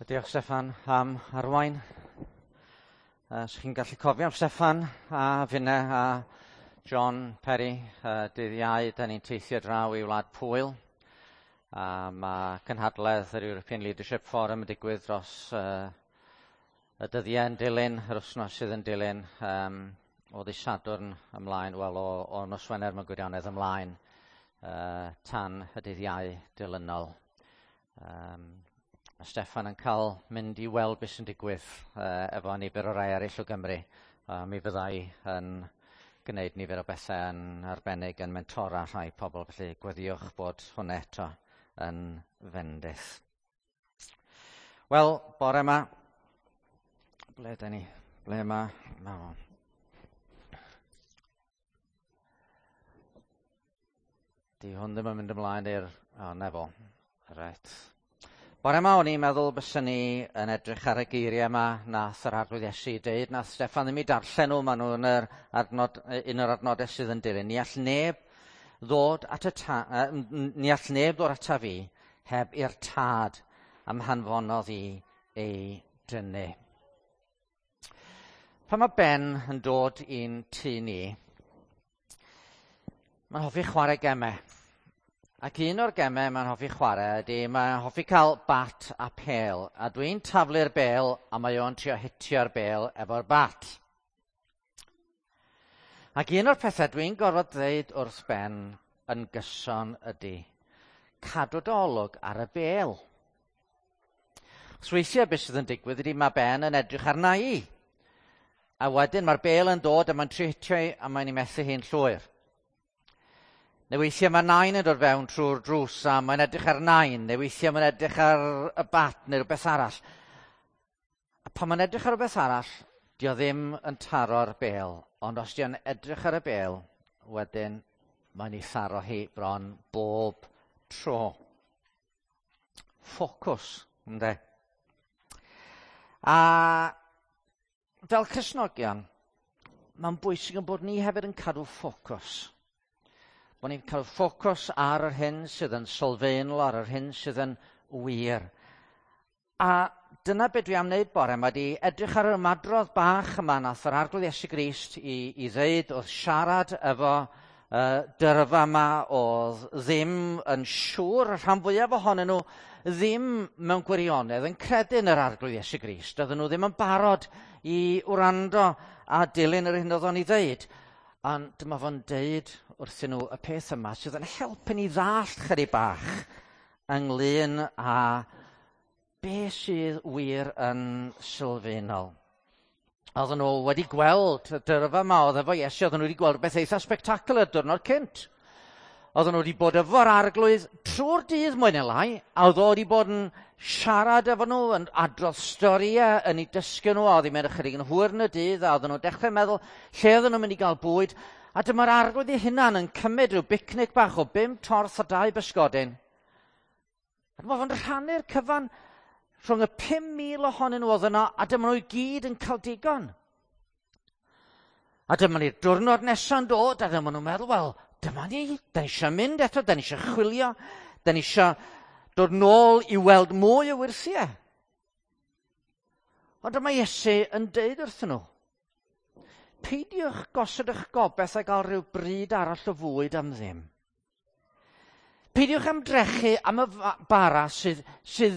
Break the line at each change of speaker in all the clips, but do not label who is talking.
Diolch Steffan am arwain. Os chi'n gallu cofio am Steffan a finne a John Perry, dydd Iau, da ni'n teithio draw i Wlad Pwyl. A mae cynhadledd yr European Leadership Forum yn digwydd dros y dyddiau yn dilyn, yr wythnos sydd yn dilyn, o ddydd Sadwrn ymlaen, wel o nos Wener mewn gwirionedd ymlaen, tan y dydd Iau dilynol. Mae Steffan yn cael mynd i weld beth sy'n digwydd efo nifer o rai eraill o Gymru. Mi fyddai yn gwneud nifer o bethau yn arbennig yn mentora rhai pobl, felly gweddiwch bod hwnna eto yn fendith. Wel, bore yma, ble ydyn ni? Ble yma? Ma fo. Di hwn ddim yn mynd ymlaen i'r... O, na fo. Reit. Bore yma o'n i'n meddwl byswn ni yn edrych ar y geiriau yma nath yr Arglwydd Iesu deud, nath Steffan ddim i darllen nhw, maen nhw yn yr adnod, un o'r adnodau sydd yn dilyn. Ni all neb ddod at y ta, ni all neb ddod ata fi heb i'r tad am hanfonodd i ei dynnu. Pan mae Ben yn dod i'n tŷ ni, mae'n hoffi chwarae gemau. Ac un o'r gemau mae'n hoffi chwarae ydy mae'n hoffi cael bat a pêl. A dwi'n taflu'r bêl a mae o'n trio hitio'r bêl efo'r bat. Ac un o'r pethau dwi'n gorfod dweud wrth Ben yn gyson ydy cadw dy olwg ar y bêl. Weithiau beth sydd yn digwydd ydy mae Ben yn edrych arna i. A wedyn mae'r bêl yn dod a mae'n trio hitio i a mae'n ei methu hi'n llwyr. Neu weithiau mae nain yn dod fewn trwy'r drws a mae'n edrych ar nain. Neu weithiau mae'n edrych ar y bat neu rhywbeth arall. A pan mae'n edrych ar rhywbeth arall, dio ddim yn taro'r bêl. Ond os dio'n edrych ar y bêl, wedyn mae'n ei tharo hi bron bob tro. Ffocws, ynde? A fel Cristnogion, mae'n bwysig yn bod ni hefyd yn cadw ffocws. Bod ni'n cael ffocws ar yr hyn sydd yn sylfaenol, ar yr hyn sydd yn wir. A dyna beth dwi am wneud bore yma, di edrych ar yr ymadrodd bach yma nath yr Arglwydd Iesu Grist i ddeud wrth siarad efo dyrfa yma oedd ddim yn siŵr, y rhan fwyaf ohonyn nhw ddim mewn gwirionedd yn credu yn yr Arglwydd Iesu Grist. Oedden nhw ddim yn barod i wrando a dilyn yr hyn oedd o'n ei ddeud. Ond dyma fo'n deud wrthyn nhw y peth yma sydd yn helpu ni ddallt chydig bach ynglyn â be sydd wir yn sylfaenol. Oedden nhw wedi gweld y dyrfa yma oedd efo Iesu, oedden nhw wedi gweld beth eitha spectacular diwrnod cynt. Oedden nhw wedi bod efo'r Arglwydd trwy'r dydd mwy neu lai, a oedd o wedi bod yn siarad efo nhw, yn adrodd storïau, yn eu dysgu nhw, a oedd hi'n mynd ychydig yn hwyr yn y dydd, a oedden nhw'n dechrau meddwl lle oedden nhw'n mynd i gael bwyd, a dyma'r Arglwydd ei hunan yn cymryd rhyw bicnic bach o 5 torth a 2 bysgodyn. A dyma fo'n rhannu'r cyfan rhwng y 5,000 ohonyn nhw oedd yno, a dyma nhw i gyd yn cael digon. A dyma ni'r diwrnod nesa'n dod, a dyma nhw'n meddwl, wel, dyma ni, da ni eisiau mynd eto, da ni eisiau chwilio, da ni eisiau dod nôl i weld mwy o wyrthiau. Ond dyma Iesu yn deud wrthyn nhw, peidiwch gosod eich gobaith a gael rhyw bryd arall o fwyd am ddim. Peidiwch ymdrechu am y bara sydd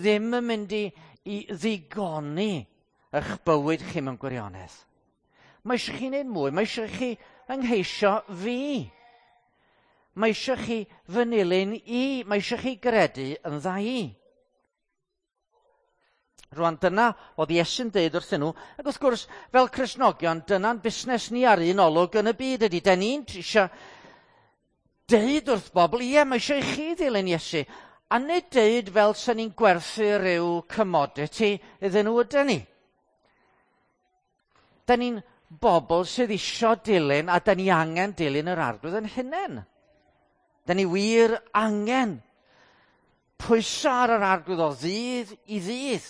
ddim yn mynd i ddigoni eich bywyd chi mewn gwirionedd. Mae eisiau chi wneud mwy, mae eisiau chi yngheisio fi. Mae eisiau chi fy nilyn i, mae eisiau chi gredu yn dda i. Rwan, dyna oedd Iesu'n deud wrthyn nhw, ac wrth gwrs, fel Cristnogion, dyna'n busnes ni ar un olwg yn y byd ydy. Da ni'n eisiau deud wrth bobl, ie, mae eisiau i chi ddilyn Iesu, a nid deud fel sy'n ni'n gwerthu rhyw commodity iddyn nhw ydyn ni. Da ni'n bobl sydd isio dilyn, a da ni angen dilyn yr Arglwydd yn hunain. Da ni wir angen pwyso ar yr Arglwydd o ddydd i ddydd.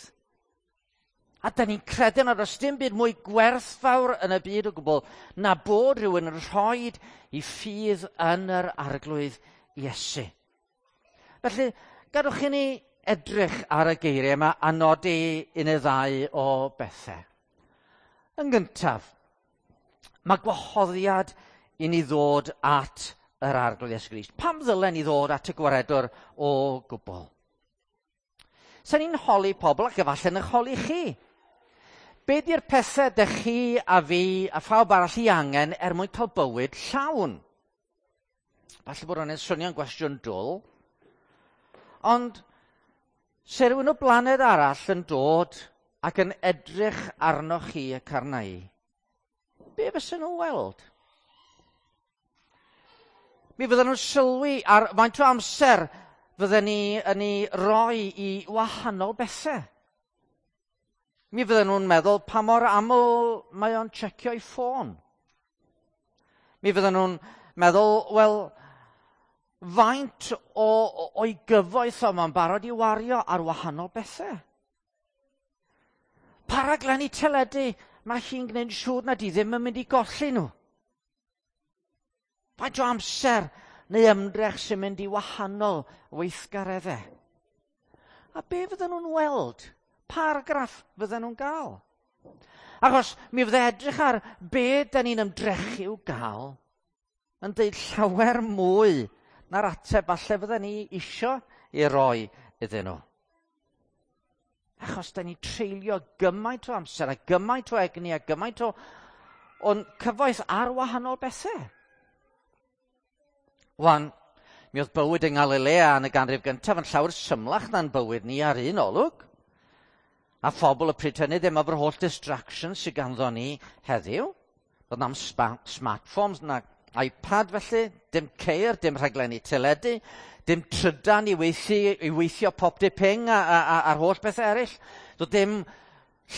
A da ni'n credu nad oes dim byd mwy gwerthfawr yn y byd o gwbl na bod rhywun yn rhoi i ffydd yn yr Arglwydd Iesu. Felly, gadwch i ni edrych ar y geiriau yma a nodi un neu ddau o bethau. Yn gyntaf, mae gwahoddiad i ni ddod at yr Arglwydd Iesu Grist. Pam ddylen ni ddod at y gwaredwr o gwbl? Sa'n ni'n holi pobl ac efallai yn eich holi chi. Be di'r pethau dych chi a fi a phawb arall i angen er mwyn cael bywyd llawn? Falle bod hwnna'n swnio'n gwestiwn dwl, ond se rhywun o blaned arall yn dod ac yn edrych arnoch chi ac arna i, be fysa nhw'n weld? Mi fydden nhw'n sylwi ar faint o amser fydden ni yn ei roi i wahanol bethau. Mi fydden nhw'n meddwl pa mor aml mae o'n checio'i ffôn. Mi fydden nhw'n meddwl, wel, faint o, o'i gyfoeth o mae'n barod i wario ar wahanol bethau. Pa raglenni teledu mae hi'n gwneud siŵr nad i ddim yn mynd i golli nhw. Faint o amser neu ymdrech sy'n mynd i wahanol weithgareddau? A be fydden nhw'n weld? Paragraff fydden nhw'n gael? Achos mi fydde edrych ar be da ni'n ymdrechu i'w gael yn deud llawer mwy na'r ateb falle fydden ni isio i roi iddyn nhw. Achos da ni'n treulio gymaint o amser a gymaint o egni a gymaint o o'n cyfoeth ar wahanol bethau. Wan, mi oedd bywyd yng Ngalilea yn y ganrif gyntaf yn llawer symlach na'n bywyd ni ar un olwg. A phobl y pryd hynny ddim efo'r holl distractions sydd ganddo ni heddiw. Doedd na'm smartphones na iPad felly, dim ceir, dim rhaglenni teledu, dim trydan i weithio, i weithio pop di ping a, a, a, a'r holl bethau eraill. Doedd dim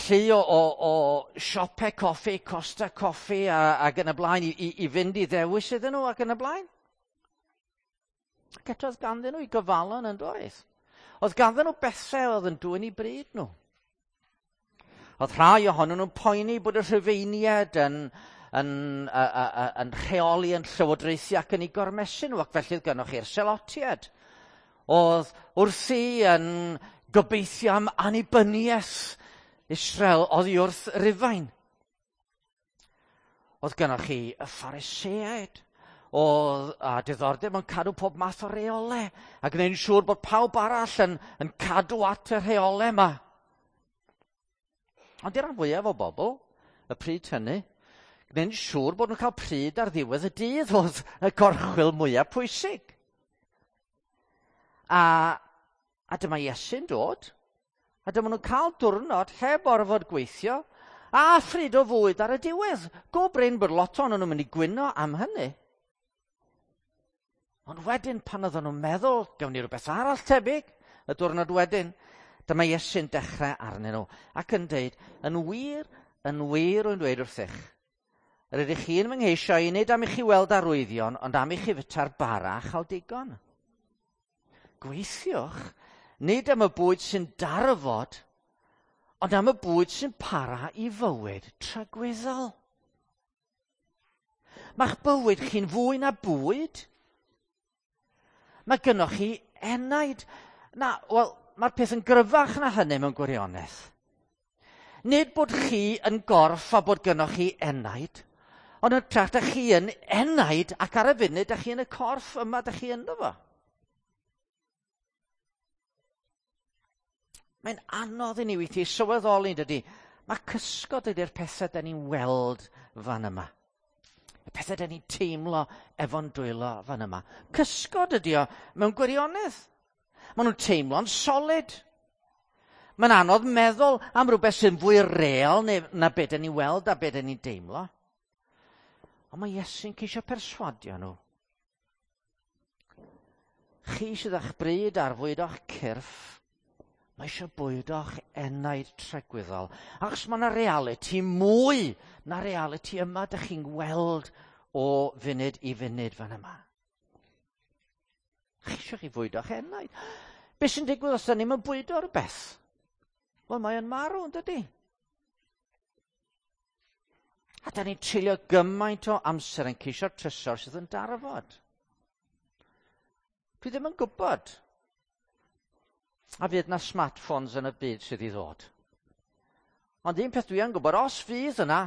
llu o, o, o siopau coffi, Costa Coffi a, ac yn y blaen i, i, i fynd i ddewis iddyn nhw ac yn y blaen. Ac eto oedd ganddyn nhw i gyfalon yn doedd. Oedd ganddyn nhw bethau oedd yn dwyn i bryd nhw. Oedd rhai ohonyn nhw'n poeni bod y Rhufeiniaid yn, yn, uh, uh, yn rheoli yn llywodraethu ac yn ei gormesu nhw, ac felly oedd gennych chi'r Selotiaid. Oedd wrthi yn gobeithio am annibyniaeth Israel oddi wrth Rufain. Oedd gennych chi y Phariseaid, oedd a diddordeb mewn cadw pob math o reolau, a gwneud yn siŵr bod pawb arall yn, yn cadw at y rheolau yma. Ond i'r rhan fwyaf o bobl, y pryd hynny, gwneud yn siŵr bod nhw'n cael pryd ar ddiwedd y dydd oedd y gorchwyl mwyaf pwysig. A, a dyma Iesu'n dod, a dyma nhw'n cael diwrnod heb orfod gweithio, a phryd o fwyd ar y diwedd. Go brin bod lot ohonyn nhw'n mynd i gwyno am hynny. Ond wedyn, pan oedden nhw'n meddwl, gawn ni rhywbeth arall tebyg, y diwrnod wedyn, dyma Iesu'n dechrau arnyn nhw ac yn deud, yn wir, yn wir rwy'n dweud wrthych, yr ydych chi'n fy ngheisio i nid am i chi weld arwyddion, ond am i chi fyta'r bara a chael digon. Gweithiwch, nid am y bwyd sy'n darfod, ond am y bwyd sy'n para i fywyd tragwyddol. Mae'ch bywyd chi'n fwy na bwyd. Mae gynnoch chi enaid. Na, wel, mae'r peth yn gryfach na hynny mewn gwirionedd. Nid bod chi yn gorff a bod gynnoch chi enaid, ond yn hytrach da chi yn enaid ac ar y funud da chi yn y corff yma da chi ynddo fo. Mae'n anodd i ni weithiau sylweddoli, dydy. Mae cysgod ydy'r pethau da ni'n weld fan yma. Y pethau da ni'n teimlo efo'n dwylo fan yma. Cysgod ydy o mewn gwirionedd. Maen nhw'n teimlo'n solid. Mae'n anodd meddwl am rhywbeth sy'n fwy real neu, na beth da ni'n weld a beth da ni'n deimlo. Ond mae Iesu'n ceisio perswadio nhw. Chi sydd â'ch bryd ar fwyd o'ch cyrff, mae eisiau bwyd o'ch enaid tragwyddol. Achos mae yna reality mwy na reality yma dych chi'n weld o funud i funud fan yma. Chi eisiau chi fwyd o'ch enaid. Be sy'n digwydd os da ni'n bwydo rhywbeth? Wel, mae yn marw, yn dydy? A da ni'n treulio gymaint o amser yn ceisio trysor sydd yn darfod. Dwi ddim yn gwybod. A fydd na smartphones yn y byd sydd i ddod. Ond un peth dwi yn gwybod, os fydd yna,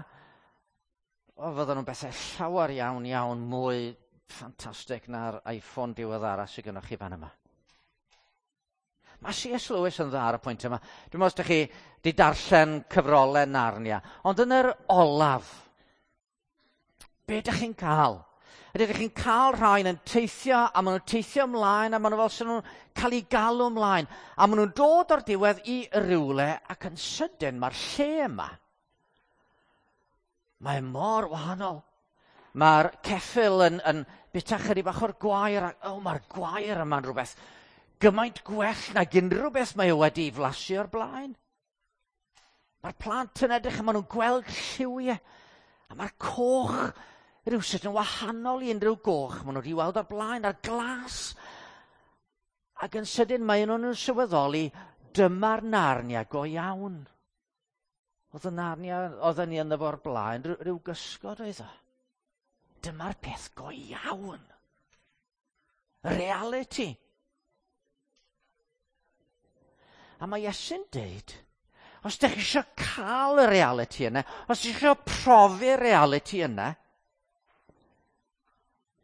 o, fydden nhw'n bethau llawer iawn iawn mwy ffantastig na'r iPhone diweddara sydd gennych chi fan yma. Mae C.S. Lewis yn dda ar y pwynt yma. Dwi'n meddwl os ydych chi wedi darllen cyfrolau Narnia, ond yn yr olaf, be ydych chi'n cael? Ydych chi'n cael rhain yn teithio, a maen nhw'n teithio ymlaen, a maen nhw fel sy'n nhw'n cael eu galw ymlaen. A maen nhw'n dod o'r diwedd i rywle, ac yn sydyn mae'r lle yma. Mae mor wahanol. Mae'r ceffyl yn bita chydig bach o'r gwair, ac oh, mae'r gwair yma'n rhywbeth gymaint gwell nag unrhyw beth mae o wedi flasu o'r blaen. Mae'r plant yn edrych a maen nhw'n gweld lliwiau, a mae'r coch rhywsut yn wahanol i unrhyw goch maen nhw wedi weld o'r blaen, a'r glas. Ac yn sydyn mae nhw'n sylweddoli dyma'r Narnia go iawn. Oedd y Narnia oedden ni ynddo fo'r blaen, rhyw gysgod oedd o. Dyma'r peth go iawn. Reality. A mae Iesu'n deud, os ydych chi eisiau cael y reality yna, os ydych chi eisiau profi'r reality yna,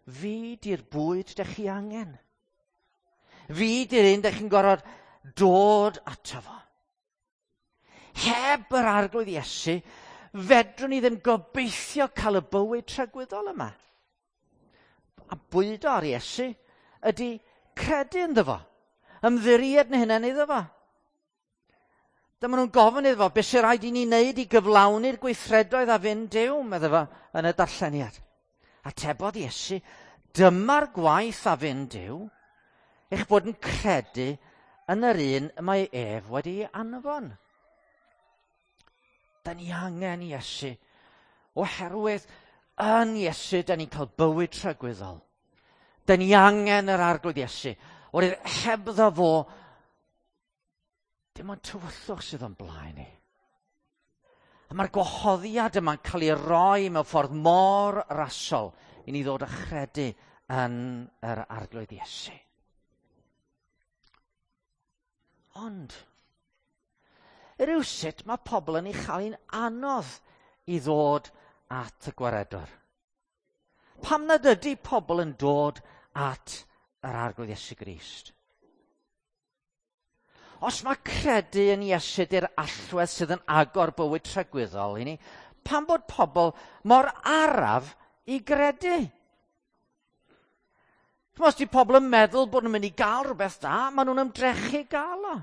fi di'r bwyd ydych chi angen. Fi di'r un ydych chi'n gorfod dod ato fo. Heb yr Arglwydd Iesu, fedrwn ni ddim gobeithio cael y bywyd tragwyddol yma. A bwydo ar Iesu ydy credu ynddo fo, ymddiried yn hunain iddo fo. Dyma nhw'n gofyn iddo fo, beth sy'n rhaid i ni wneud i gyflawni'r gweithredoedd a fynd Duw, medde fo yn y darlleniad. Atebodd Iesu, dyma'r gwaith a fynd Duw, eich bod yn credu yn yr un y mae ef wedi anfon. Da ni angen Iesu, oherwydd yn Iesu da ni'n cael bywyd tragwyddol. Da ni angen yr Arglwydd Iesu, oherwydd hebddo fo, dim ond tywyllwch sydd o'n blaen ni. A mae'r gwahoddiad yma'n cael ei roi mewn ffordd mor rasol i ni ddod a chredu yn yr Arglwydd Iesu. Ond, rywsut mae pobl yn ei chael hi'n anodd i ddod at y gwaredwr. Pam nad ydy pobl yn dod at yr Arglwydd Iesu Grist? Os mae credu yn Iesu di'r allwedd sydd yn agor bywyd tragwyddol i ni, pam bod pobl mor araf i gredu? Os di pobl yn meddwl bod nhw'n mynd i gael rhywbeth da, maen nhw'n ymdrechu gael o.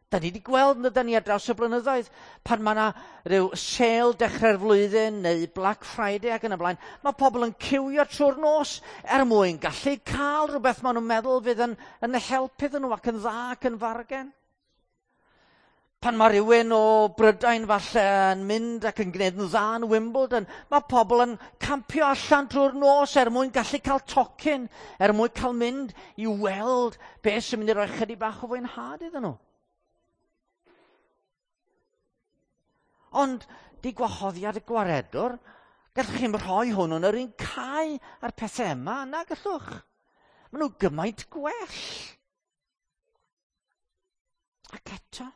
Da ni wedi gweld yn ni ar draws y blynyddoedd, pan mae yna rhyw sale dechrau'r flwyddyn neu Black Friday ac yn y blaen, mae pobl yn ciwio trwy'r nos er mwyn gallu cael rhywbeth maen nhw'n meddwl fydd yn helpu iddyn nhw ac yn dda ac yn fargen. Pan mae rhywun o Brydain falle yn mynd ac yn gwneud yn dda yn Wimbledon, mae pobl yn campio allan drwy'r nos er mwyn gallu cael tocyn, er mwyn cael mynd i weld beth sy'n mynd i roi chydig bach o fwynhad iddyn nhw. Ond di gwahoddiad y gwaredwr, gallwch chi'm rhoi hwn yn yr un cae a'r pethau yma, na gallwch. Maen nhw gymaint gwell. Ac eto,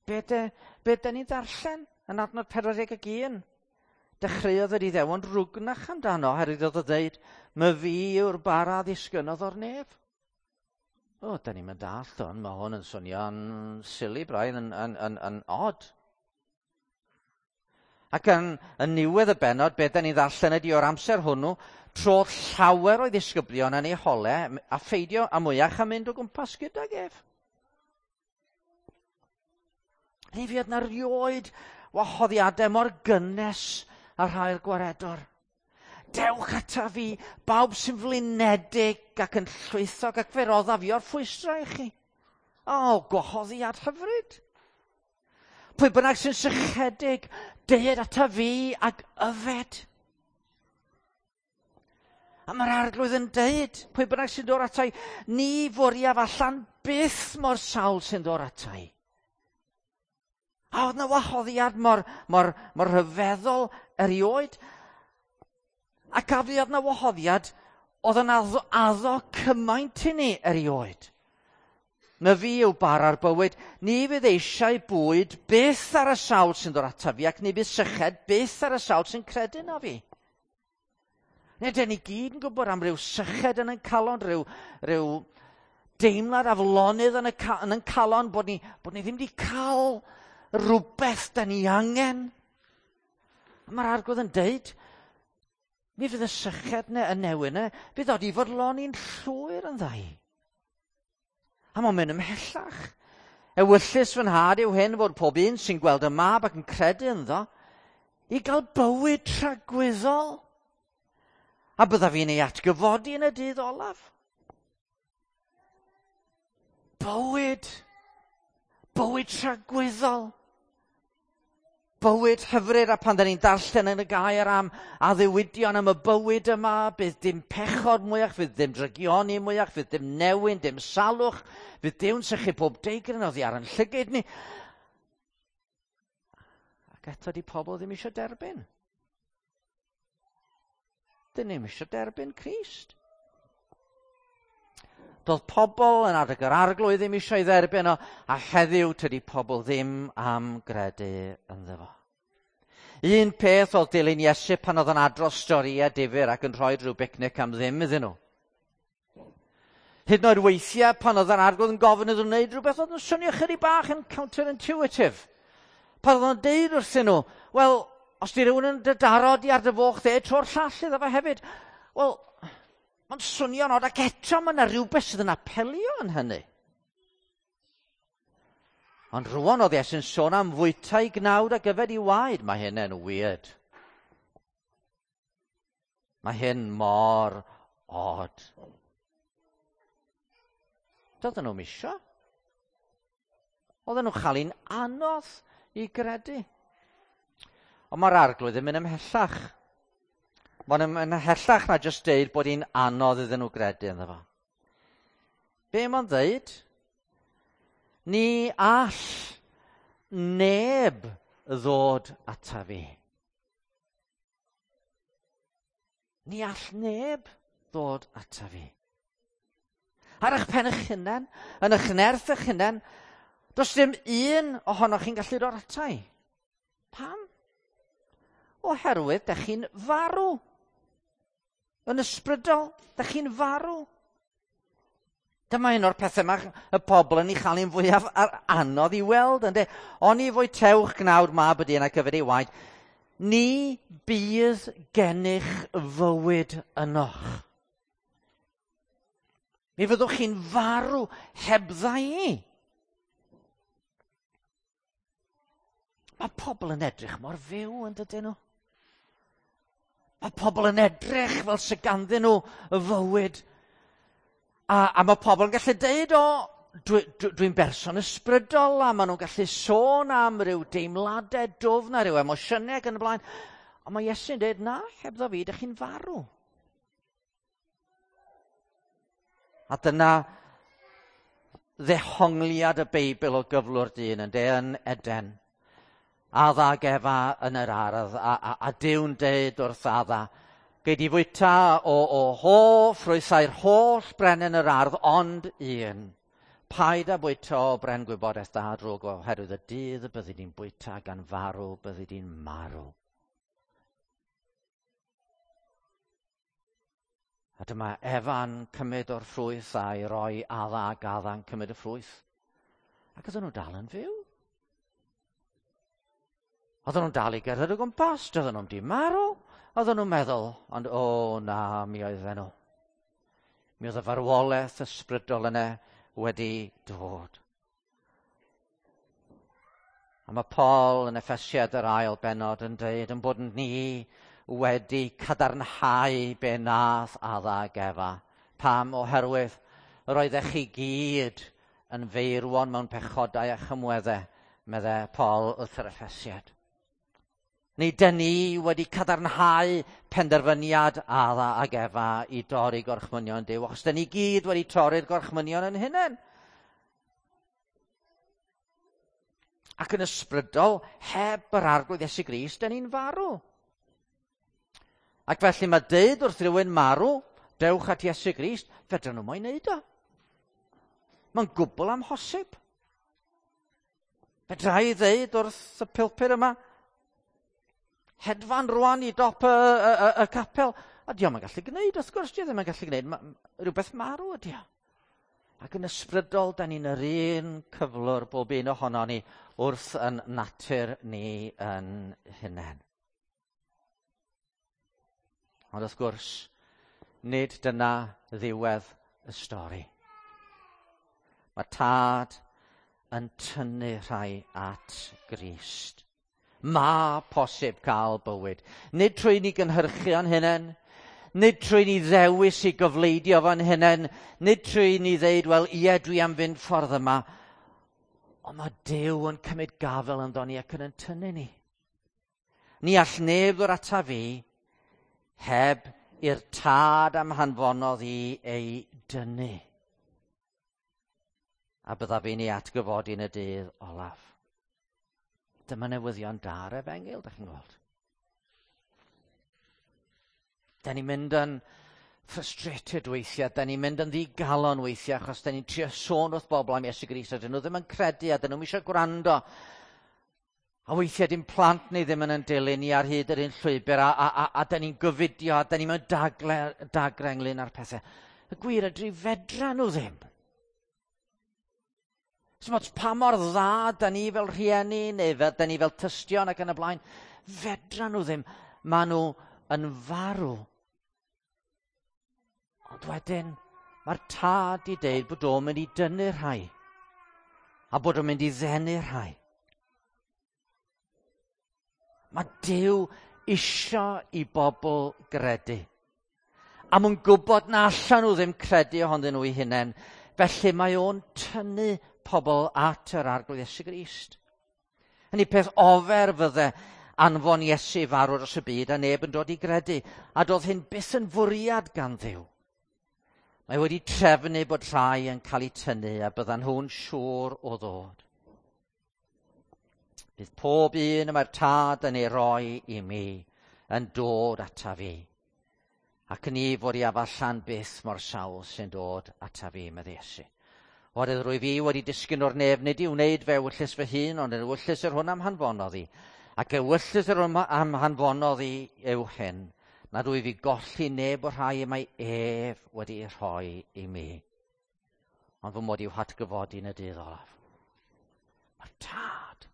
be da ni'n ddarllen yn adnod 41? Dechreuodd yr Iddewon rwgnach amdano, oherwydd oedd o ddeud, my fi yw'r bara ddisgynnodd o'r nef. O, da ni'n mynd dallt hwn, mae hwn yn swnio'n silly braidd, yn odd. Ac yn niwedd y bennod, be da ni'n ddarllen ydy o'r amser hwnnw, trodd llawer o'i ddisgyblion yn ei holau a pheidio a mwyach a mynd o gwmpas gydag ef. Ni fuodd na rioed wahoddiadau mor gynnes a rhai'r gwaredwr. Dewch ata fi, bawb sy'n flinedig ac yn llwythog ac fe roddaf fi o'r ffwystra i chi. O, gwahoddiad hyfryd. Pwy bynnag sy'n sychedig, deued ata fi ac yfed. A mae'r Arglwydd yn deud, pwy bynnag sy'n dod ata i, ni fwriaf allan byth mor sawl sy'n dod ata i. A oedd na wahoddiad mor rhyfeddol erioed. Ac a fuodd na wahoddiad oedd yn addo cymaint i ni erioed. Na fi yw bara'r bywyd, ni fydd eisiau bwyd byth ar y sawl sy'n dod ataf fi, ac ni fydd syched byth ar y sawl sy'n credu na fi. Neu dyn ni gyd yn gwybod am ryw syched yn ein calon, rhyw deimlad aflonydd yn ein calon, bod ni ddim wedi cael rhywbeth da ni angen. A mae'r Arglwydd yn deud, mi fydd y syched neu y newyn yna, fydd od i fodloni'n llwyr yn ddau. A mae'n mynd ymhellach. Ewyllys fy nhad yw hyn fod pob un sy'n gweld y mab ac yn credu ynddo i gael bywyd tragwyddol. A byddaf fi'n ei atgyfodi yn y dydd olaf. Bywyd. Bywyd tragwyddol. Bywyd hyfryd, a pan da ni'n darllen yn y gair am addewidion am y bywyd yma, bydd dim pechod mwyach, fydd dim drygioni mwyach, fydd dim newyn, dim salwch, fydd Duw'n sychu pob deigryn oddi ar yn llygaid ni. Ac eto di pobl ddim eisiau derbyn. Dyn ni'm eisiau derbyn Crist. Doedd pobl yn adeg yr Arglwydd ddim eisiau ei dderbyn o, a heddiw tydi pobl ddim am gredu ynddo fo. Un peth oedd dilyn Iesu pan oedd yn adrodd storïau difyr ac yn rhoi rhyw bicnic am ddim iddyn nhw. Hyd yn oed weithiau pan oedd yr Arglwydd yn gofyn iddyn nhw wneud rhywbeth oedd yn swnio chydig bach yn counterintuitive. Pan oedd o'n deud wrthyn nhw, wel, os di rhywun yn dy daro di ar dy foch dde, tro'r llall iddo fo hefyd. Wel, mae'n swnio'n od, ac eto mae yna rhywbeth sydd yn apelio yn hynny. Ond rwan oedd Iesu'n sôn am fwyta i gnawd ac yfed i waed. Mae hyn yn weird. Mae hyn mor odd. Doedden nhw'm isio. Oedden nhw'n chael hi'n anodd i gredu. Ond mae'r Arglwydd yn mynd ymhellach. Mae'n mynd ymhellach na jyst deud bod hi'n anodd iddyn nhw gredu ynddo fo. Be mae'n ddeud? Ni all neb ddod ata fi. Ni all neb ddod ata fi. Ar eich pen eich hunain, yn eich nerth eich hunain, does dim un ohonoch chi'n gallu dod ata i. Pam? Oherwydd dych chi'n farw. Yn ysbrydol, dych chi'n farw. Dyma un o'r pethau mae y pobl yn ei chael hi'n fwyaf anodd i weld, ynde? Oni fwytewch gnawd mab y dyn ac yfed ei waed, ni bydd gennych fywyd ynoch. Mi fyddwch chi'n farw hebdda i. Mae pobl yn edrych mor fyw, yn dydyn nhw? Mae pobl yn edrych fel sy ganddyn nhw y fywyd. A mae pobl yn gallu deud, o, dwi'n berson ysbrydol, a maen nhw'n gallu sôn am ryw deimladau dwfn a ryw emosiynau ac yn y blaen. Ond mae Iesu'n deud, na, hebddo fi, dych chi'n farw. A dyna ddehongliad y Beibl o gyflwr dyn yn de yn Eden. Adda ag Efa yn yr ardd, a Duw'n deud wrth Adda, gei di fwyta o holl ffrwythau'r holl bren yn yr ardd, ond un. Paid â bwyta o bren gwybodaeth da a drwg, oherwydd y dydd y byddi di'n bwyta gan farw, byddi di'n marw. A dyma Efa'n cymryd o'r ffrwyth a'i roi Adda ac Adda'n cymryd y ffrwyth. Ac oedden nhw dal yn fyw. Oedden nhw'n dal i gerdded o gwmpas, doedden nhw'n di marw. Oedden nhw'n meddwl, ond o na, mi oedden nhw. Mi oedd y farwolaeth ysbrydol yna wedi dod. A mae Paul yn Effesiad yr ail bennod yn dweud yn bod ni wedi cadarnhau be nath Adda ag Efa. Pam? Oherwydd yr oeddech chi gyd yn feirwon mewn pechodau a chymweddau, meddai Paul wrth yr Effesiad. Neu dyn ni wedi cadarnhau penderfyniad Adda ag Efa i dorri gorchmynion Duw, achos dyn ni gyd wedi torri'r gorchmynion yn hunain. Ac yn ysbrydol, heb yr Arglwydd Iesu Grist, dyn ni'n farw. Ac felly mae deud wrth rhywun marw, dewch at Iesu Grist, fedrwn nhw moyn neud o. Mae'n gwbl amhosib. Fedra i ddeud wrth y pilpur yma, hedfan rwan i dop y, y, y, y capel. A diolch yn gallu gwneud, wrth gwrs, di ddim yn gallu gwneud. Ma, rhywbeth marw ydi o. Ac yn ysbrydol, da ni'n yr un cyflwr bob un ohono ni wrth yn natur ni yn hunain. Ond wrth gwrs, nid dyna ddiwedd y stori. Mae tad yn tynnu rhai at Grist. Mae posib cael bywyd. Nid trwy ni gynhyrchu o'n hunain, nid trwy ni ddewis i gyfleidio fo'n hunain, nid trwy ni ddeud, wel, ie, dwi am fynd ffordd yma. Ond mae Duw yn cymryd gafel ynddo ni ac yn yn tynnu ni. Ni all neb ddod ata fi heb i'r tad am hanfonodd i ei dynnu. A byddaf fi'n ei atgyfodi yn y dydd olaf. Dyma newyddion da'r efengyl, da chi'n gweld. Da ni'n mynd yn frustrated weithiau, da ni'n mynd yn ddigalon weithiau, achos da ni'n trio sôn wrth bobl am Iesu Grist, a dyn nhw ddim yn credu, a dyn nhw'n eisiau gwrando. A weithiau dim plant ni ddim yn yn dilyn ni ar hyd yr un llwybr, a, a, a, a da ni'n gyfudio, a da ni'n mewn dagle, dagre ynglyn â'r pethau. Y gwir ydy fedra nhw ddim. Smot pa mor dda da ni fel rhieni neu fel, da ni fel tystion ac yn y blaen, fedra nhw ddim. Maen nhw yn farw. Ond wedyn, mae'r tad i deud bod o'n mynd i dynnu rhai. A bod o'n mynd i ddenu rhai. Mae Duw isio i bobl gredu. A mwyn gwybod na allan nhw ddim credu ohonyn nhw eu hunain. Felly mae o'n tynnu pobl at yr Arglwydd Iesu Grist. Hynny peth ofer fydde anfon Iesu farw dros y byd a neb yn dod i gredu. A doedd hyn byth yn fwriad gan Dduw. Mae wedi trefnu bod rhai yn cael eu tynnu a byddan nhw'n siŵr o ddod. Bydd pob un y mae'r tad yn ei roi i mi yn dod ata fi. Ac ni fod i afallan byth mor sawl sy'n dod ata fi, medde Iesu. Oherwydd rwy fi wedi disgyn o'r nef, nid i wneud fe ewyllys fy hun, ond yn ewyllys yr hwn am hanfonodd i. Ac ewyllys yr hwn am hanfonodd i yw hyn, nad wyf fi golli neb o'r rhai y mae ef wedi ei rhoi i mi. Ond fy mod i'w hatgyfodi yn y dydd olaf. Mae'r tad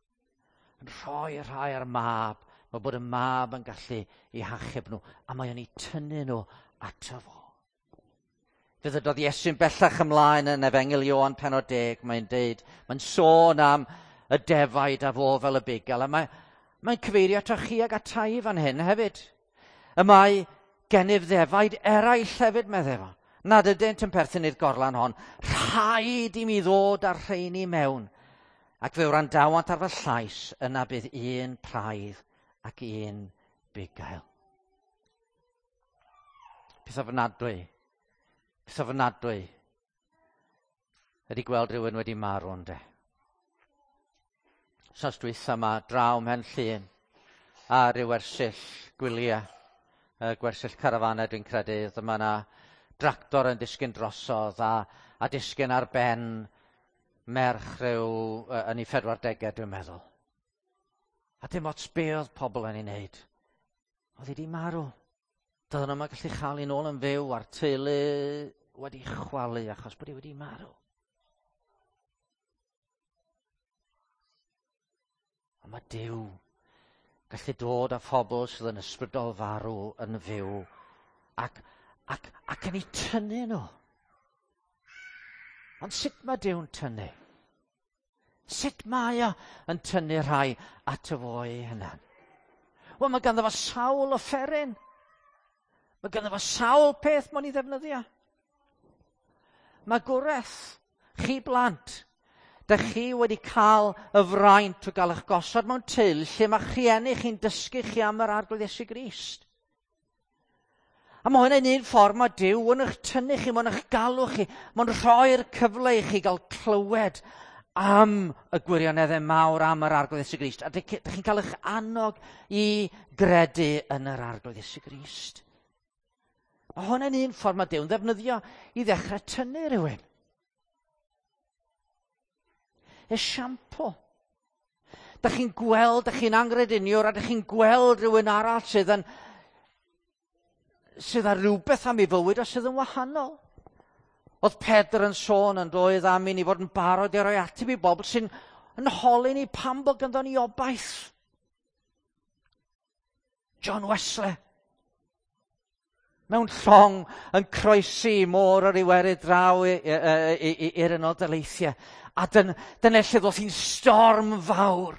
yn rhoi rhai ar mab, mae bod y mab yn gallu eu hachub nhw, a mae o'n eu tynnu nhw ato fo. Fe ddydodd Iesu'n bellach ymlaen yn Efengyl Ioan penod 10, mae'n deud, mae'n sôn am y defaid a fo fel y bugail, a mae, mae'n cyfeirio ato chi ag atai fan hyn hefyd. Y mae gennyf ddefaid eraill hefyd, meddai fo, nad ydynt yn perthyn i'r gorlan hon. Rhaid i mi ddod â'r rheini mewn, ac fe wrandawant ar fy llais, yna bydd un praidd ac un bugail. Peth ofnadwy Peth ofnadwy ydy gweld rhywun wedi marw ynde. Wsos dwytha yma draw mhen llun a ryw wersyll gwyliau, gwersyll carafanau dwi'n credu, dyma yna dractor yn disgyn drosodd a, a disgyn ar ben merch rhyw yn ei 40au dwi'n meddwl. A dim ots be oedd pobl yn ei wneud. Oedd hi wedi marw. Doedden nhw'n gallu chael ei nôl yn fyw a'r teulu wedi chwalu achos bod hi wedi marw. Ond mae Duw gallu dod â phobl sydd yn ysbrydol farw yn fyw ac, ac, ac yn eu tynnu nhw. Ond sut mae Duw'n tynnu? Sut mae o yn tynnu rhai ato fo ei hunan? Wel, mae ganddo fo sawl offeryn. Mae ganddo fo sawl peth mo'n i ddefnyddio. Mae gwreth, chi blant, dych chi wedi cael y fraint o gael eich gosod mewn teulu lle mae rhieni chi'n dysgu chi am yr Arglwydd Iesu Grist. A mae hwnna'n un ffordd mae Duw yn eich tynnu chi, mae'n eich galw chi, mae'n rhoi'r cyfle i chi gael clywed am y gwirioneddau mawr am yr Arglwydd Iesu Grist. A dych chi'n cael eich annog i gredu yn yr Arglwydd Iesu Grist. Mae hwnna'n un ffordd mae Duw'n ddefnyddio i ddechrau tynnu rhywun. esiampl. Da chi'n gweld, da chi'n angrediniwr, a da chi'n gweld rhywun arall sydd â rhywbeth am ei fywyd a sydd yn wahanol. Oedd Pedr yn sôn yn doedd am i ni fod yn barod i roi ateb i bobl sy'n yn holi ni pam bod ganddo ni obaith. John Wesley mewn llong yn croesi môr yr Iwerydd draw i'r Unol Daleithiau. A dyna lle ddoth hi'n storm fawr.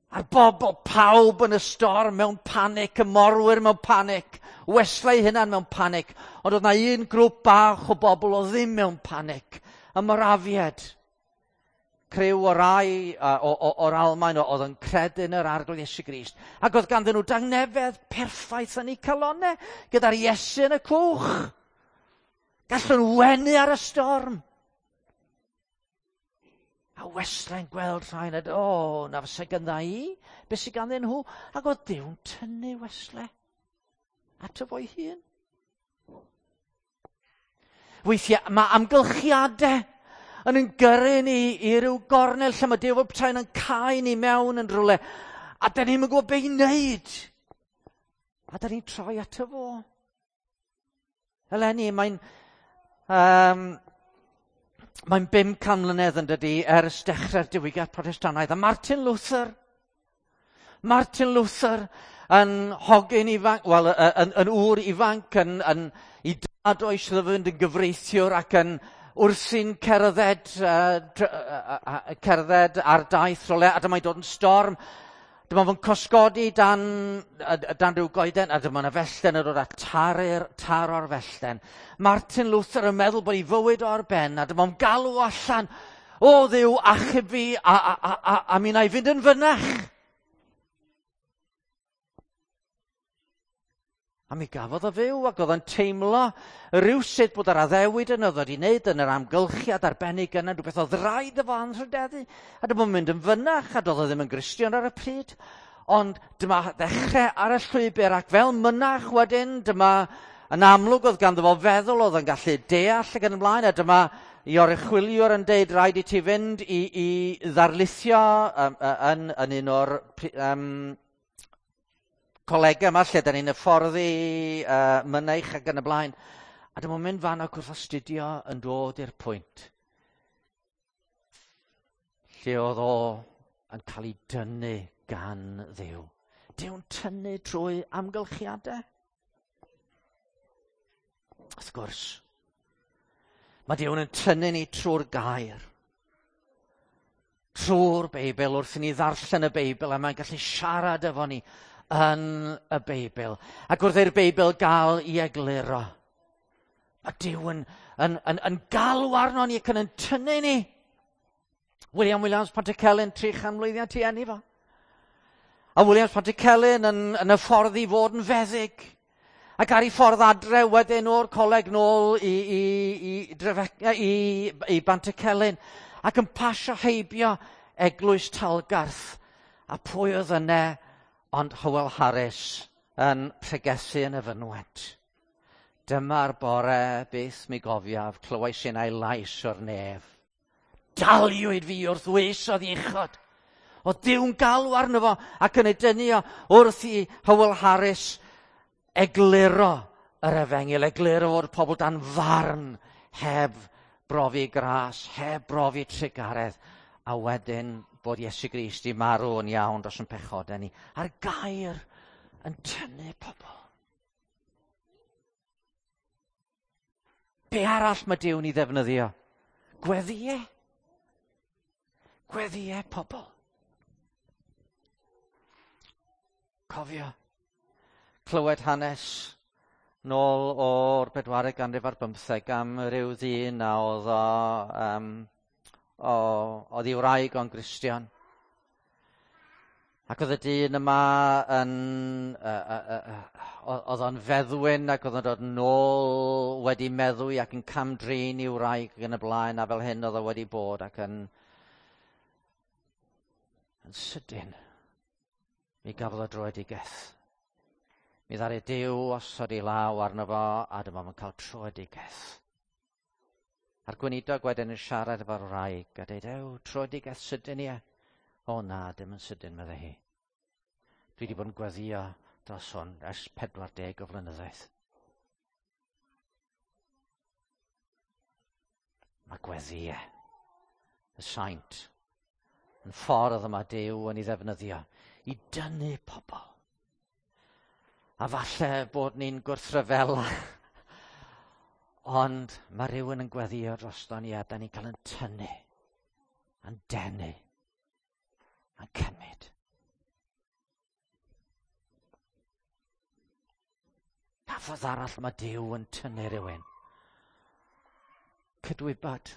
A'r bobl, pawb yn y storm mewn panic, y morwyr mewn panic, Wesley hunan mewn panic. Ond oedd na un grŵp bach o bobl o ddim mewn panic, y Morafiad. Criw o rai o'r Almaen oedd yn credu yn yr Arglwydd Iesu Grist. Ac oedd ganddyn nhw dangnefedd perffaith yn eu calonau, gyda'r Iesu yn y cwch. Gallwn wenu ar y storm. A Wesley'n gweld rhain a o, na fysa gandda i, beth sydd ganddyn nhw? Ac oedd Duw'n tynnu Wesley ato fo'i hun. Weithiau mae amgylchiadau yn gyrru ni i ryw gornel lle mae Duw fel petai'n yn cau ni mewn yn rhywle, a da ni'm yn gwybod be i wneud. A da ni'n troi ato fo. Eleni, mae'n 500 mlynedd yn dydi ers dechrau'r diwygiad Protestannaidd. A Martin Luther yn hogyn ifanc, wel, yn ŵr ifanc, yn i dad o eisiau fynd yn gyfreithiwr ac yn wrthi'n cerdded ar daith rhywle, a dyma'n dod yn storm. Dyma fo'n cysgodi dan rhyw goeden, a dyma yna fellten yn dod a taro'r fellten. Martin Luther yn meddwl bod ei fywyd o'r ben, a dyma fo'n galw allan, o Dduw, achub fi, a mi wna i fynd yn fynach. A mi gafodd o fyw, ac oedd o'n teimlo rhywsut bod yr addewid yn oedd wedi wneud yn yr amgylchiad arbennig yna, rhywbeth oedd rhaid efo anrhydeddu. A dyma mynd yn fynach, a doedd o ddim yn Gristion ar y pryd. Ond dyma ddechrau ar y llwybr, ac fel mynach wedyn, dyma yn amlwg oedd ganddo fo feddwl, oedd yn gallu deall ac yn ymlaen, a dyma i oruchwyliwr yn deud rhaid i ti fynd i ddarlithio yn un o'r colegau yma lle da ni'n hyfforddi mynaich ac yn y blaen. A dyma'n mynd fan ac wrth astudio yn dod i'r pwynt lle oedd o yn cael ei dynnu gan Dduw. Duw'n tynnu trwy amgylchiadau. Wrth gwrs, mae Duw'n yn tynnu ni trwy'r gair. Trwy'r Beibl, wrth i ni ddarllen y Beibl, a mae'n gallu siarad efo ni yn y Beibl. Ac wrth i'r Beibl gael ei egluro, mae Duw yn galw arno ni ac yn tynnu ni. William Williams Pantycelyn, 300 mlwyddiant i eni fo. A Williams Pantycelyn yn y ffordd i fod yn feddyg. Ac ar ei ffordd adre wedyn o'r coleg nôl i Bantycelyn. Ac yn pasio heibio eglwys Talgarth. A pwy oedd yna ond Howell Harris yn pregethu yn y fynwent. Dyma'r bore beth mi gofiaf, clywais innau lais o'r nef. Daliwyd fi wrth wesodd uchod. O Duw'n galw arno fo ac yn ei dynnu o wrth i Howell Harris egluro yr efengyl, egluro fod pobl dan farn heb brofi gras, heb brofi trugaredd, a wedyn bod Iesu Grist i marw yn iawn dros yn pechodau ni. A'r gair yn tynnu pobl. Be arall mae Duw'n ei ddefnyddio? Gweddïau. Gweddïau pobl. Cofio. Clywed hanes nôl o'r 4eg ganrif ar bymtheg am ryw ddyn a oedd oedd ei wraig o'n Gristion. Ac oedd y dyn yma oedd o'n feddwyn ac oedd o'n dod nôl wedi meddwi ac yn cam-drin i'w wraig ac yn y blaen, a fel hyn oedd o wedi bod, ac yn sydyn mi gafodd o droedigaeth. Mi ddaru Duw osod ei law arno fo, a dyma fo'n cael troedigaeth. A'r gweinidog wedyn yn siarad efo'r wraig a dweud, ew, tröedigaeth sydyn ie. O na, dim yn sydyn, meddai hi. Dwi wedi bod yn gweddio dros hwn ers 40 o flynyddoedd. Mae gweddiau, y saint, yn ffordd yma Duw yn ei ddefnyddio i dynnu pobl. A falle bod ni'n gwrthryfela, ond mae rhywun yn gweddio drosto ni a da ni'n cael yn tynnu, yn denu, yn cymryd. Pa ffordd arall mae Duw yn tynnu rhywun? Cydwybod.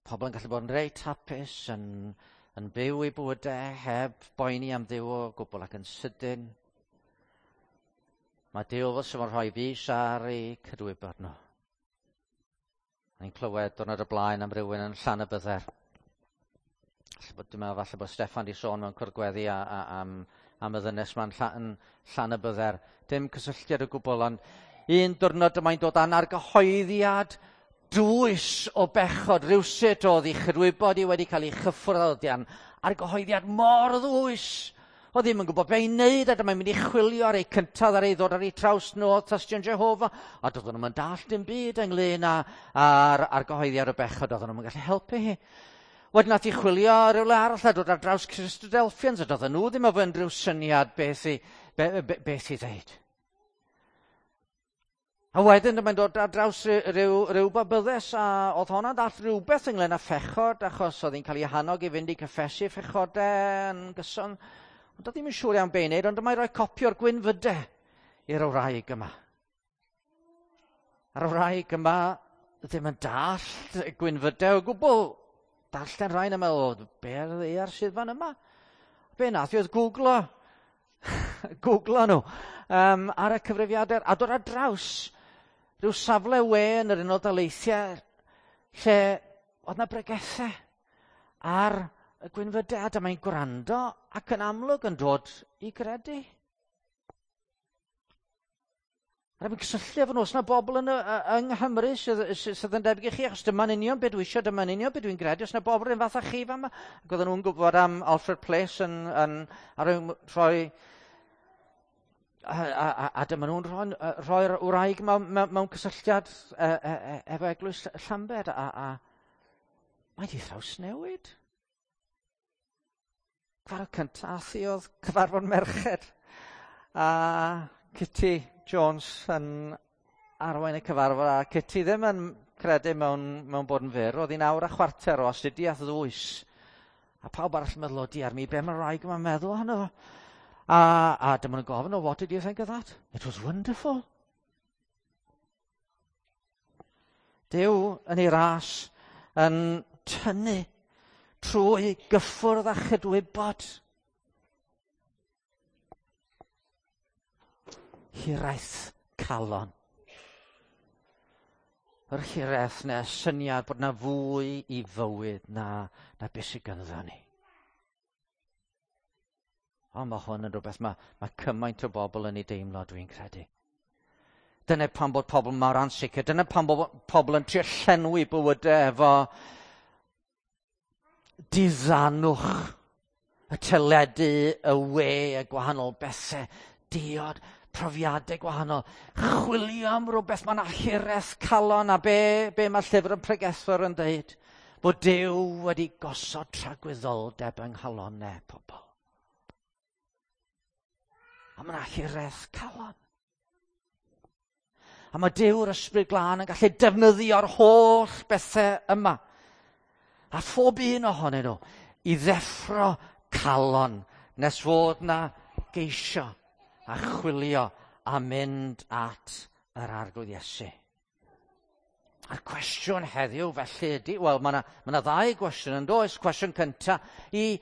Pobl yn gallu bod yn reit hapus, yn, yn byw eu bywydau heb boeni am Dduw o gwbl ac yn sydyn. Mae Duw fel sy'n rhoi fus ar eu cydwybod nhw. Ni'n clywed diwrnod y blaen am rywun yn Llanybydder. Dwi'n meddwl falle bod Steffan di sôn mewn cwrdd gweddi a, a, am, am y ddynes ma'n llan, Llanybydder. Dim cysylltiad o gwbl, ond un diwrnod yma'n dod â'n argyhoeddiad dwys o bechod rhywsut oedd ei chydwybod i wedi cael ei chyffwrdd o dian. Argyhoeddiad mor ddwys. Oedd ddim yn gwybod be i wneud, a dyma'n mynd i chwilio ar ei cyntaf ar ei ddod ar ei traws nhw oedd Tystion Jehofa, a doedden nhw'n dall dim byd ynglyn â'r argyhoeddiad o bechod, oedden nhw'n gallu helpu hi. Wedyn nath i chwilio rhywle arall a dod ar draws Christadelphians, a doedden nhw ddim efo unrhyw syniad beth i, be, be, beth i ddeud. A wedyn mae'n dod ar draws rhyw, rhyw babyddes a oedd honna'n dall rhywbeth ynglyn â phechod achos oedd hi'n cael ei hannog i fynd i cyffesu phechodau yn gyson. Ond oedd ddim yn siŵr iawn be i wneud, ond dyma'i roi copi o'r gwynfydau i'r wraig yma. A'r wraig yma ddim yn dallt gwynfydau o gwbl. Darllen rhain a meddwl, be ar y ddaear sydd fan yma? Be nath i oedd googlo googlo nhw um, ar y cyfrifiadur a dod ar draws rhyw safle we yn yr Unol Daleithiau lle oedd na bregethau ar y gwynfydau a dyma'n gwrando ac yn amlwg yn dod i gredu. A dwi'n cysylltu efo nhw, os yna bobl yn, yng Nghymru sydd, sydd yn debyg i chi, achos dyma'n union beth dwi eisiau, dyma'n union beth dwi'n gredu, os yna bobl yn fath â chi fan yma. Ac oedden nhw'n gwybod am Alfred Place yn, yn, ar rhoi a, a, a, a dyma nhw'n rhoi'r rhoi wraig mewn, mewn, mewn cysylltiad e, e, e, efo eglwys Llambed, a, a mae di thrawsnewid. Cyfarfod cyntaf ath i oedd cyfarfod merched. A Kitty Jones yn arwain y cyfarfod, a Kitty ddim yn credu mewn, mewn bod yn fyr. Oedd hi'n awr a chwarter o astudiaeth ddwys. A pawb arall yn meddwl, o diar mi, be mae'r wraig yma'n meddwl ohono fo? A, a dyma nhw'n gofyn, oh, what did you think of that? It was wonderful. Duw yn ei ras yn tynnu trwy gyffwrdd a chydwybod. Hiraeth calon. Yr hiraeth neu syniad bod na fwy i fywyd na, na beth sydd ganddo ni. Ond mae hwn yn rhywbeth mae, mae cymaint o bobl yn ei deimlo, dwi'n credu. Dyna pam bod pobl mor ansicr. Dyna pam bod pobl yn trio llenwi bywydau efo diddanwch, y teledu, y we, y gwahanol bethau, diod, profiadau gwahanol. Chwilio am rhywbeth, mae'n hiraeth calon a be, be mae llyfr yn pregethwr yn dweud. Bod Duw wedi gosod tragwyddoldeb yng nghalonau pobl. A mae'n hiraeth calon. A mae Duw'r Ysbryd Glân yn gallu defnyddio'r holl bethau yma. A phob un ohonyn nhw i ddeffro calon nes fod na geisio a chwilio a mynd at yr Arglwydd Iesu. A'r cwestiwn heddiw felly ydy, wel mae yna ma ddau gwestiwn yn does. Cwestiwn cyntaf i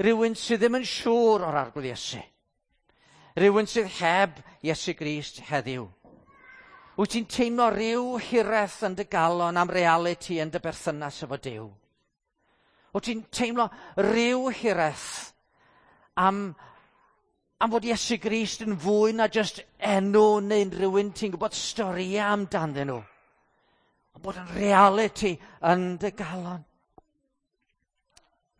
rywun sydd ddim yn siŵr o'r Arglwydd Iesu. Rhywun sydd heb Iesu Grist heddiw. Wyt ti'n teimlo rhyw hiraeth yn dy galon am realiti yn dy berthynas efo Duw? Wyt ti'n teimlo rhyw hiraeth am, Am fod Iesu Grist yn fwy na jyst enw neu'n rhywun ti'n gwybod storïau amdanyn nhw. Ond bod yn reality yn dy galon.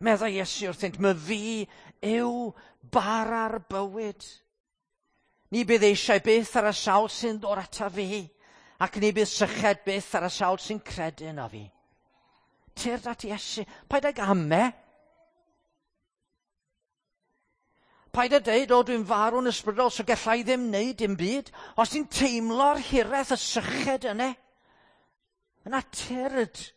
Meddai Iesu wrthynt, "My fi yw bara'r bywyd. Ni bydd eisiau byth ar y sawl sy'n dod ata fi, ac ni bydd syched byth ar y sawl sy'n credu yno fi." Tyrd at Iesu, paid ag ame. Paid â deud, "O, dwi'n farw'n ysbrydol, so gallai ddim wneud dim byd." Os ti'n teimlo'r hiraeth, y syched yna, yna tyrd.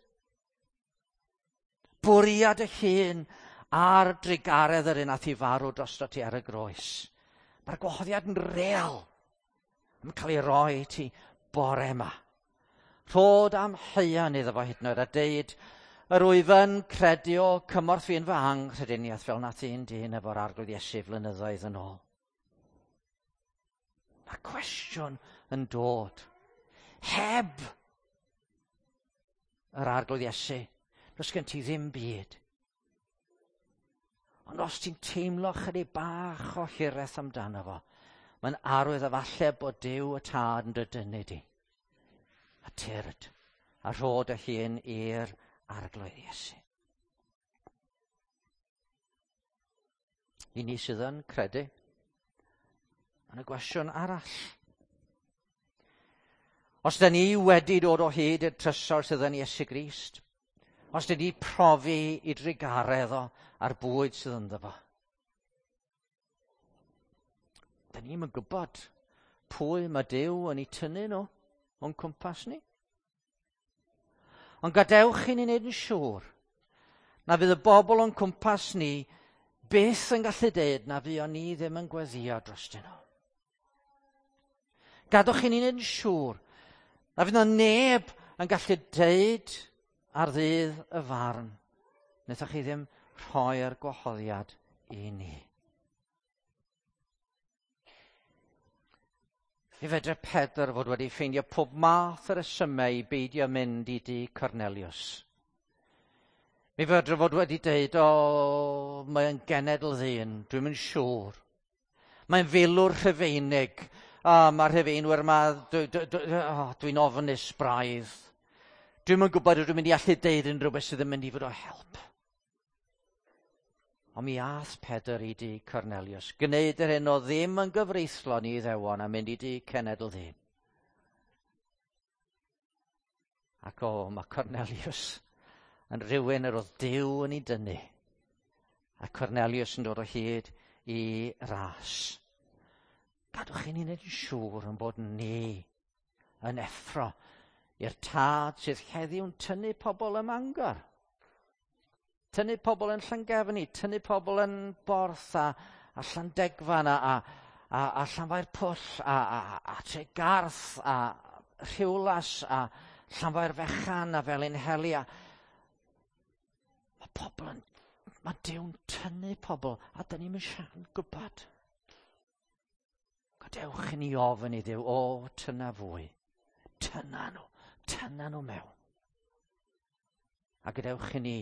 Bwriad y hun ar drugaredd yr un ath i farw drosto ti ar y groes. Mae'r gwahoddiad yn real. Mae'n cael ei roi i ti bore yma. Rhod am heian iddo fo hyd yn oed a deud, "Yr wyf yn credu o cymorth fi yn fy anghrediniaeth," fel nath un dyn efo'r Arglwydd Iesu flynyddoedd yn ôl. Mae'r cwestiwn yn dod. Heb yr Arglwydd Iesu, does gen ti ddim byd. Ond os ti'n teimlo chydig bach o hiraeth amdano fo, mae'n arwydd efallai bod Duw y Tad yn dy dynnu di. A tyrd, a rhod y hun i'r Arglwydd Iesu. I ni sydd yn credu, mae'n y gwestiwn arall. Os da ni wedi dod o hyd i'r trysor sydd yn Iesu Grist, os da ni profi i drugaredd o a'r bwyd sydd ynddo fo, da ni'n yn gwybod pwy mae Duw yn ei tynnu nhw o'n cwmpas ni. Ond gadewch i ni wneud yn siŵr na fydd y bobl o'n cwmpas ni byth yn gallu deud na fuon ni ddim yn gweddio drostyn nhw. Gadewch i ni wneud yn siŵr na fydd na neb yn gallu deud ar ddydd y farn, "Wnaethoch chi ddim rhoi'r gwahoddiad i ni." Mi fedre Pedr fod wedi ffeindio pob math o resymau i beidio mynd i dŷ Cornelius. Mi fedre fod wedi deud, "O, mae'n genedl ddyn, dwi'm yn siŵr. Mae'n filwr Rhufeinig. O, mae'r Rhufeinwyr yma, dwi'n ofnus braidd. Dwi'm yn gwybod ydw i'n mynd i allu deud unrhyw beth sydd yn mynd i fod o help." Ond mi ath Pedr i dŷ Cornelius, gwneud yr hyn o ddim yn gyfreithlon i Iddewon a mynd i dŷ cenedl ddyn. Ac o, mae Cornelius yn rhywun yr oedd Duw yn ei dynnu. A Cornelius yn dod o hyd i ras. Gadwch i ni wneud yn siŵr yn bod ni yn effro i'r Tad sydd heddiw'n tynnu pobl ym Mangor. Tynnu pobl yn Llangefni, tynnu pobl yn Borth a Llandegfan a Llanfair Pwll a Tregarth a Rhiwlas a Llanfair Fechan a Felinheli. Mae pobl yn... Mae Duw'n tynnu pobl a dyn ni'n siarad gwybod. Gadewch i ni ofyn i Dduw, "O, tynna fwy. Tynna nhw, tynna nhw mewn." A gadewch i ni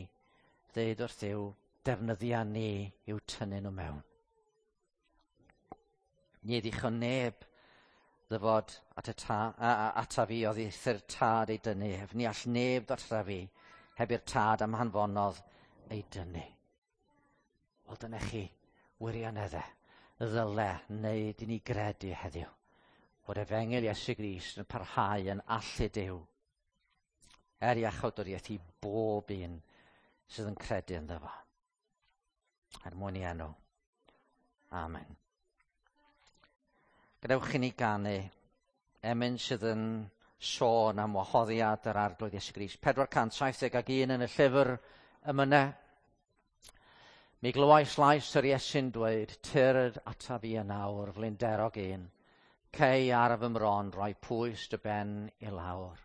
ddeud wrth Dduw, defnyddia ni i'w tynnu nhw mewn. Ni ddichon neb ddyfod at y ta, a, a, ata fi oddi wrth Tad ei dynnu ef. Ni all neb ddod ata fi heb i'r Tad am hanfonodd ei dynnu. Wel, dyna chi wirioneddau ddyle wneud i ni gredu heddiw bod efengyl Iesu Grist yn parhau yn allu Duw er iachawdwriaeth i bob un sydd yn credu ynddo fo. Er mwyn i enw. Amen. Gadewch i ni ganu emyn sydd yn sôn am wahoddiad yr Arglwydd Iesu Grist. 471 yn y llyfr emynau. Mi glywais lais yr Iesu'n dweud, "Tyrd ata fi yn awr, flinderog un. Cei ar fy mron roi pwys dy ben i lawr."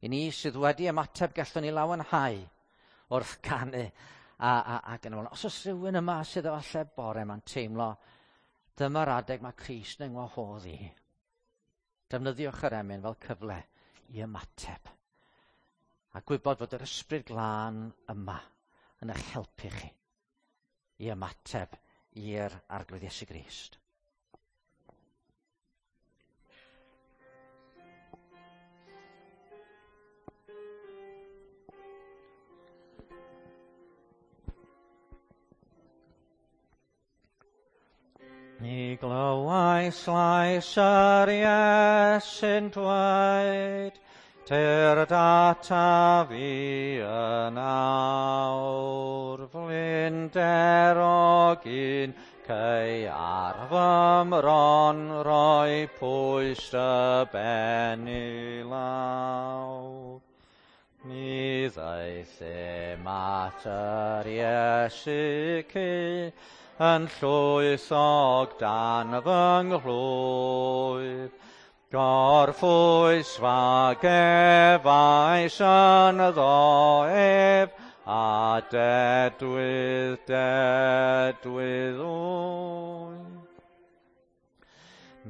I ni sydd wedi ymateb gallwn ni lawenhau wrth canu ac yn y. Os oes rhywun yma sydd efallai bore yma'n teimlo, dyma'r adeg mae Crist yn ngwahodd i. Defnyddiwch yr emyn fel cyfle i ymateb. A gwybod fod yr Ysbryd Glân yma yn eich helpu chi i ymateb i'r Arglwydd Iesu Grist. Mi glywais lais yr Iesu'n dweud, Tyrd ataf fi yn awr, flinderog un cei ar fy mron roi pwys dy ben i lawr. Mi ddaethum at yr Iesu cu yn llwythog dan fy nghlwyf. Gorffwysfa gefais ynddo ef, a dedwydd, dedwydd wyf.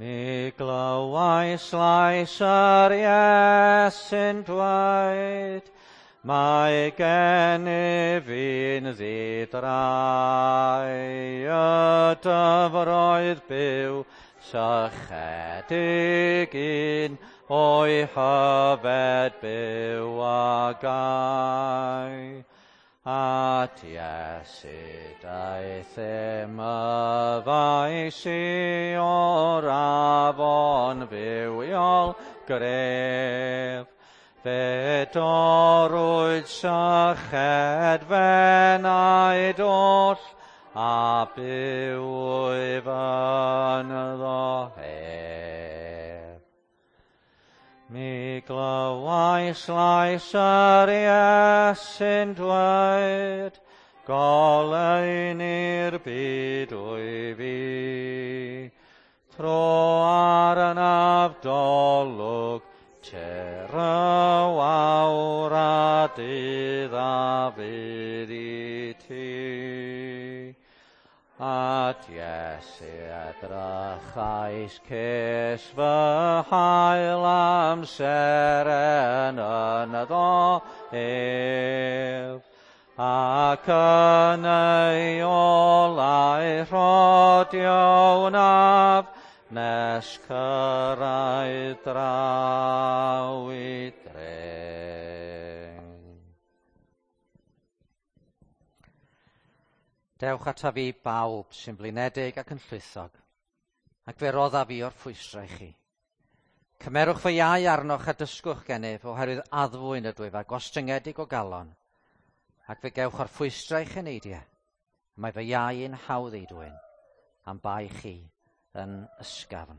Mi glywais lais yr Iesu'n dweud, mae gennyf un ddi-drai, y dyfroedd byw sychedig un o'i hyfed byw a gai. At Iesu daethum yfais i o'r afon fywiol gref. Fe dorrwyd syched f'enaid oll, a byw wyf ynddo ef. Mi glywais lais yr Iesu'n dweud, goleuni'r byd wyf i. Tro arnaf dolwg, tir y wawr a dydd a fydd i ti. At Iesu edrychais ces fy hael amser yn ynddo ef, ac yn ei olau rhodio wnaf, nes cyrraedd draw i dre. Dewch ataf fi bawb sy'n blinedig ac yn llwythog, ac fe roddaf fi o'r ffwystra i chi. Cymerwch fy iau arnoch a dysgwch gennyf oherwydd addfwyn ydwyf a gostyngedig o galon, ac fe gewch o'r ffwystra i'ch eneidiau. Mae fy iau yn hawdd ei dwyn, am bai chi yn ysgafn.